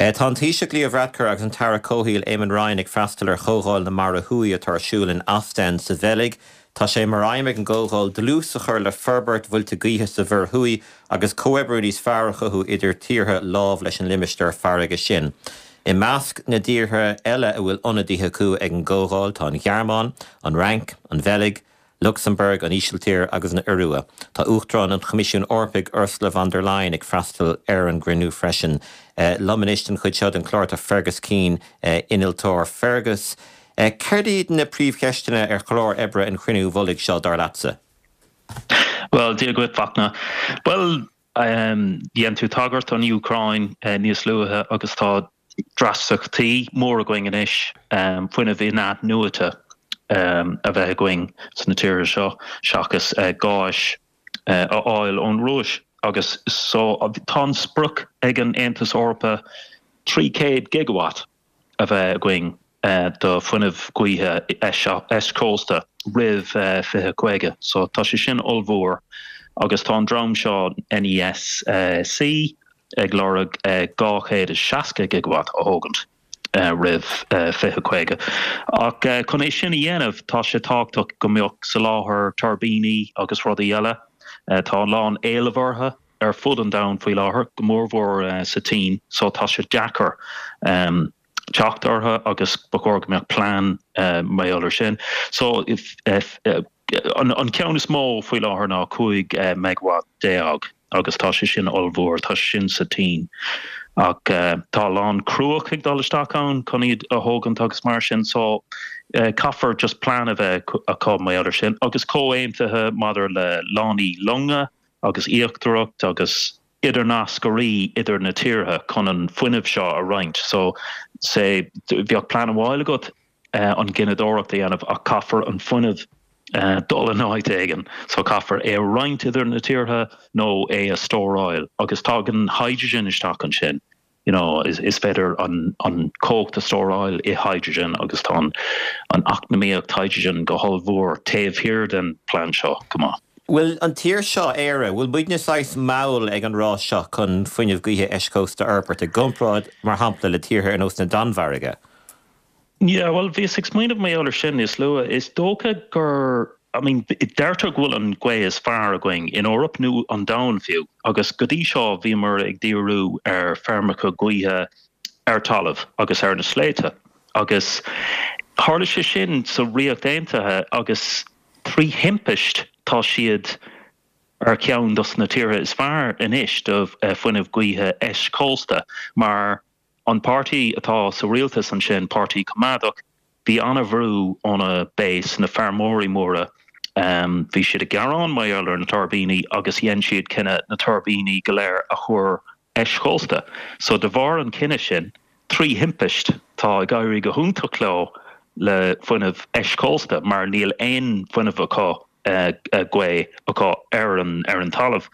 Tá an Taoiseach Leo Varadkar agus an tAire Comhshaoil Eamon Ryan ag freastal ar Chomhdháil na Mara Thuaidh atá ar siúl in Ostend sa Bheilg. Tá sé mar aidhm ag an gcomhdháil dlús a chur le forbairt mhuilte gaoithe sa Mhuir Thuaidh agus comhoibriú níos fearr a chothú idir tíortha lámh leis an limistéar farraige sin. I measc na dtíortha eile a bhfuil ionadaithe acu ag an gcomhdháil tá an Ghearmáin, an Fhrainc, an Bheilg, Lucsamburg, an Ísiltír agus an Iorua. Tá Uachtarán an Choimisiúin Eorpaigh, Ursula von der Leyen, ag freastal ar an gcruinniú freisin. Liom anois don chuid seo den chlár tá Fergus Keane, innealtóir. Fergus, céard iad na príomhcheisteanna ar chlár oibre an chruinniú mhullaigh seo, dar leatsa? Bhuel, Dia dhuit, Fachtna. Bhuel, dhein tú tagairt don Úcráin níos luaithe agus tá dreasachtaí mór againn anois fuinneamh in-athnuaite a bheith againn sna tíortha seo seachas gáis a fháil ón Rúis agus so tá an sprioc ag an Aontas Eorpach 300 gigawatt a bheith againn do fuinneamh gaoithe eischósta roimh 2050 so tá sé sin ollmhór agus tá an dream seo NESC ag lorg 260 gigawatt a thógaint roimh 2050. Ach chun é sin a dhéanamh, tá sé tábhachtach go mbeadh soláthar tuirbíní agus rudaí eile. Tá a lán éileamh orthu ar fud an domhain faoi láthair, go mórmhór sa tSín, so tá sé deacair teacht orthu agus ba chóir go mbeadh plean mar gheall ar sin. So an ceann is mó faoi láthair ná 15 megawatt agus tá sé sin ollmhór, tá sé sin sa tSín. Ach tá a lán cruach ag dul isteach ann chun iad a thógaint agus mar sin so caithfear just plean a bheith acu mar gheall ar sin agus comhaontuithe maidir le lánaí longa agus iascaireacht agus idirnascairí idir na tíortha chun an fuinneamh seo a roinnt. So say bheadh plean amháin agat an ghineadóireacht a dhéanamh ach caithfear an fuinneamh dul in áit éigin. So caithfear é a roinnt idir na tíortha nó é a stóráil agus tagann hydrogen isteach ansin. You know, is is féidir an an cumhacht a stóráil i hydrogen agus tá an an eacnamaíocht hydrogen go hollmhór taobh thiar den plean seo go maith. Bhfuil an tír seo, Éire, bhfuil muidne saghas mall ag an rás seo chun fuinneamh gaoithe eischósta a fhorbairt i gcomparáid, mar shampla, le tíortha ar nós na Danmhairge? Yeah, bhuel, bhíos ag smaoineamh mar gheall ar sin níos luaithe. Is dócha gur, I mean, deirtear go bhfuil an ghaoth is fearr againn in Eoraip, nó an domhan fiú, agus go dtí seo bhíomar ag díriú ar feirmeacha gaoithe ar talamh agus ar na sléibhte. Agus tharla sé sin sa Ríocht Aontaithe agus trí thimpist tá siad ar cheann dos na tíortha is fearr anois do fuinneamh gaoithe eischósta mar An páirtí atá sa rialtas ansin, Páirtí Coimeádach, bhí an-bhrú óna base, na feirmeoirí móra. Bhí siad ag gearán mar gheall ar na tuirbíní agus dhein siad cinneadh na tuirbíní go léir a chur eischósta. So de bharr an chinnidh sin, trí thimpist, tá ag éirí go hiontach leo le fuinneamh eischósta mar níl aon fuinneamh acu gaoth acu ar an ar an talamh.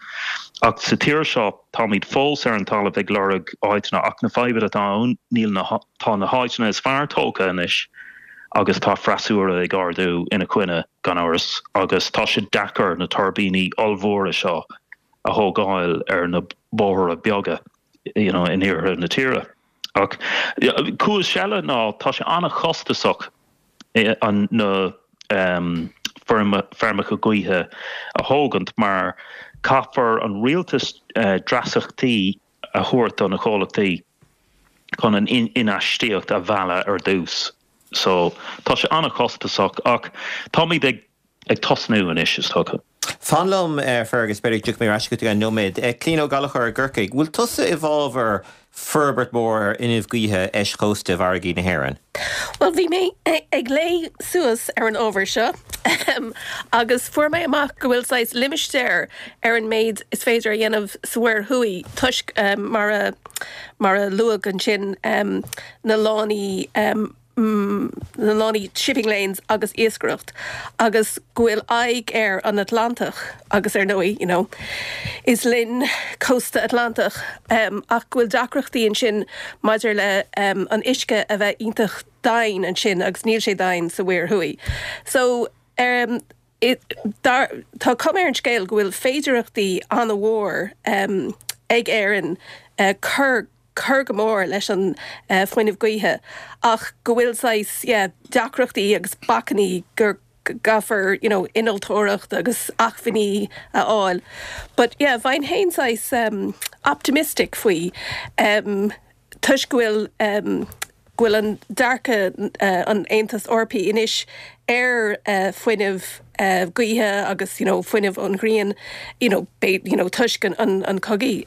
Ach sa tír seo táimid fós ar an talamh ag lorg áiteanna ach na fadhbanna atá ann níl na tá na háiteanna is fearr tógtha anois agus tá freasúra ag ardú ina coinne gan amhras agus tá sé deacair na tuirbíní ollmhóra seo a thógáil ar na bóithre beaga you know in iarthar na tíre. Ach cúis eile ná tá sé an-chostasach an na feirmeacha gaoithe a thógaint mar caithfear an rialtas dreasachtaí a thabhairt do na comhlachtaí chun an infheistíocht a mhealladh ar dtús. So tá sé an-chostasach ach táimid ag ag tosnú anois is dócha. Fan liom, Fergus, b'fhéidir go dtiocfaidh mé ar ais chugat i gceann nóiméad. Clíona Ó Gallchóir i gCorcaigh, bhfuil tusa i bhfabhar forbairt mhór ar fhuinneamh gaoithe eischósta i bhfarraigí na hÉireann? Bhuel, bhí mé ag léamh suas ar an ábhar seo agus fuair mé amach go bhfuil saghas limistéar ar an méid is féidir a dhéanamh sa Mhuir Thuaidh toisc mar a mar a luadh ansin na lánaí na lánaí shipping lanes agus iascaireacht agus go bhfuil aghaidh ar an Atlantach agus ar ndóigh you know is linn cósta Atlantach ach go bhfuil deacrachtaí ansin maidir le an uisce a bheith iontach doimhin ansin agus níl sé doimhin sa Mhuir Thuaidh. So tá cuma ar an scéal go bhfuil féidearthachtaí an-mhór ag Éirinn cur. cur go mór leis an fuinneamh gaoithe ach go bhfuil saghas yeah deacrachtaí agus bacainní go gcaithfear you know innealtóireacht agus acmhainní a fháil. But yeah bheinn féin saghas optimistic faoi toisc go bhfuil go bhfuil an dearcadh an Aontas Eorpaigh anois ar fuinneamh gaoithe agus you know fuinneamh ón ghrian you know you know toisc an an cogaidh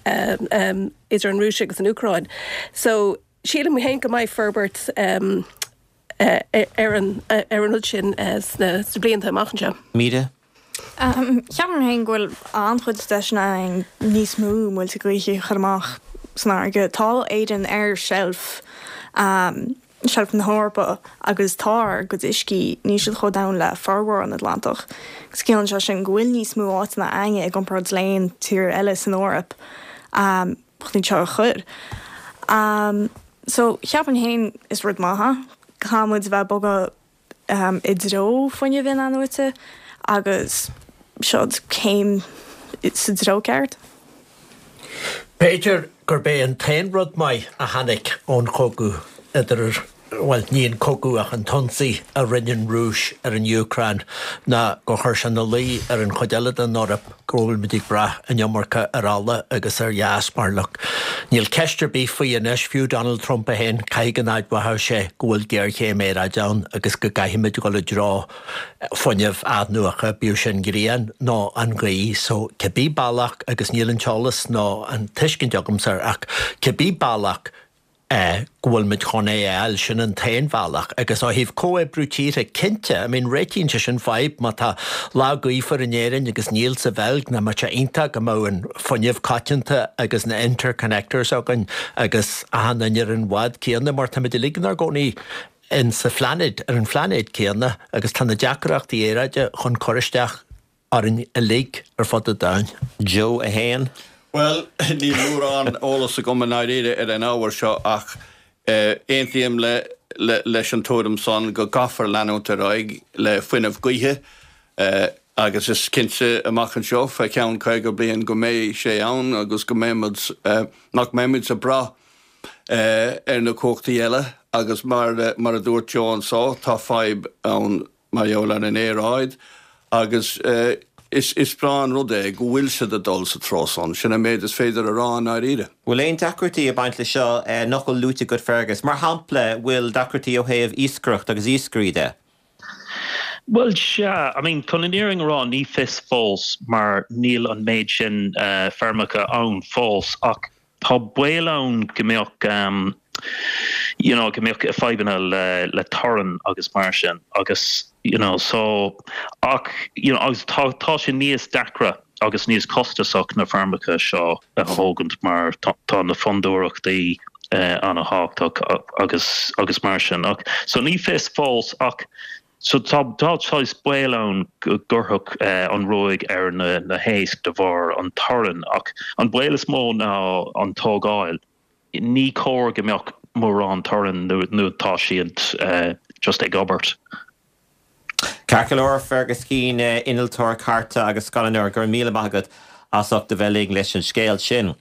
idir an Rúis agus an Úcráin. So sílim féin go mbeidh forbairt ar an ar an rud sin sna blianta amach anseo. Míde? Ceapaim féin go bhfuil an-chuid deiseanna ann níos mó muilte gaoithe a chur amach san fharraige. Tá Éirinn ar sheilf, seilf na hEorpa agus tá ár gcuid uiscí, níl siad chomh domhain le formhór an Atlantach. Agus ciallaíonn sé sin go bhfuil níos mó áiteanna againne i gcomparáid le aon tír eile san Eoraip chun iad seo a chur. So, cheapfainn féin is rud maith é. Caithfidh muid a bheith ag bogadh i dtreo fuinneamh in-athnuaite agus seo céim sa treo ceart. B'fhéidir gurb é an t-aon rud maith a tháinig ón chogadh idir, bhuel, ní an cogadh ach an t-ionsaí a rinne an Rúis ar an Úcráin ná gur chuir sé ina luí ar an chuid eile den Eoraip go bhfuil muid ag brath an iomarca ar ola agus ar gheas mar look, níl ceist ar bith faoi anois, fiú Donald Trump é féin, caithfidh go n-admhóidh sé go bhfuil géarchéim aeráide ann agus go gcaithfimid dul i dtreo fuinneamh athnuaite, bíodh sin grian nó an ghaoth, so cibé bealach, agus níl an t-eolas nó an tuiscint agamsa air ach cibé bealach é go bhfuil muid chun é a fháil, sin an t-aon bhealach. Agus ó thaobh comhoibriú tíortha, cinnte, I mean réitíonn sé sin fadhb má tá lá gaofar in Éirinn agus níl sa Bheilg, nach mbeadh sé iontach go mbeadh an fuinneamh coitianta agus na interconnectors againn agus achan duine ar an bhád céanna mar táimid uilig inár gcónaí in sa phláinéad, ar an phláinéad céanna agus tá na deacrachtaí aeráide chun cur isteach orainn uilig ar fud an domhain. Joe 1. Bhuel, níl mórán eolas agam i ndáiríre ar an ábhar seo ach aontaím leis an tuairim san go gcaithfear leanúint ar aghaidh le fuinneamh gaoithe agus is cinnte amach anseo fé cheann 50 bliain go mbeidh sé ann agus go mbeimid, nach mbeimid ag brath ar na cumhachtaí eile agus mar a dúirt Joe anso tá fadhb ann mar gheall ar an aeráid agus is breá an rud é go bhfuil siad ag dul sa treo san. Sin an méid is féidir a rá i ndáiríre. Bhfuil aon deacrachtaí ag baint leis seo nach bhfuil luaite agat Fergus? Mar shampla, bhfuil deacrachtaí ó thaobh iascaireacht agus iascairí de? Bhuel, sea. I mean, chun an fhírinne a rá, ní fios fós mar níl an méid sin feirmeacha ann fós ach Tá baol ann go mbeadh you know go mbeadh fadhbanna le le torann agus mar sin agus you know so ach you know agus tá tá sé níos deacra agus níos costasach na feirmeacha seo a thógaint mar tá tá na fondúireachtaí an-thábhachtach agus agus mar sin ach so ní fios fós ach So tá saghas baol ann go gcuirfeadh an ruaig ar na héisc de bharr an torainn ach an baol is mó ná an tógáil. Ní cóir go mbeadh mórán torainn nuair atá siad just ag obair. Ceart go leor, Fergus Keane, innealtóir cairte agus scannánóir, go raibh míle maith agat as ucht a bheith linn leis an scéal sin.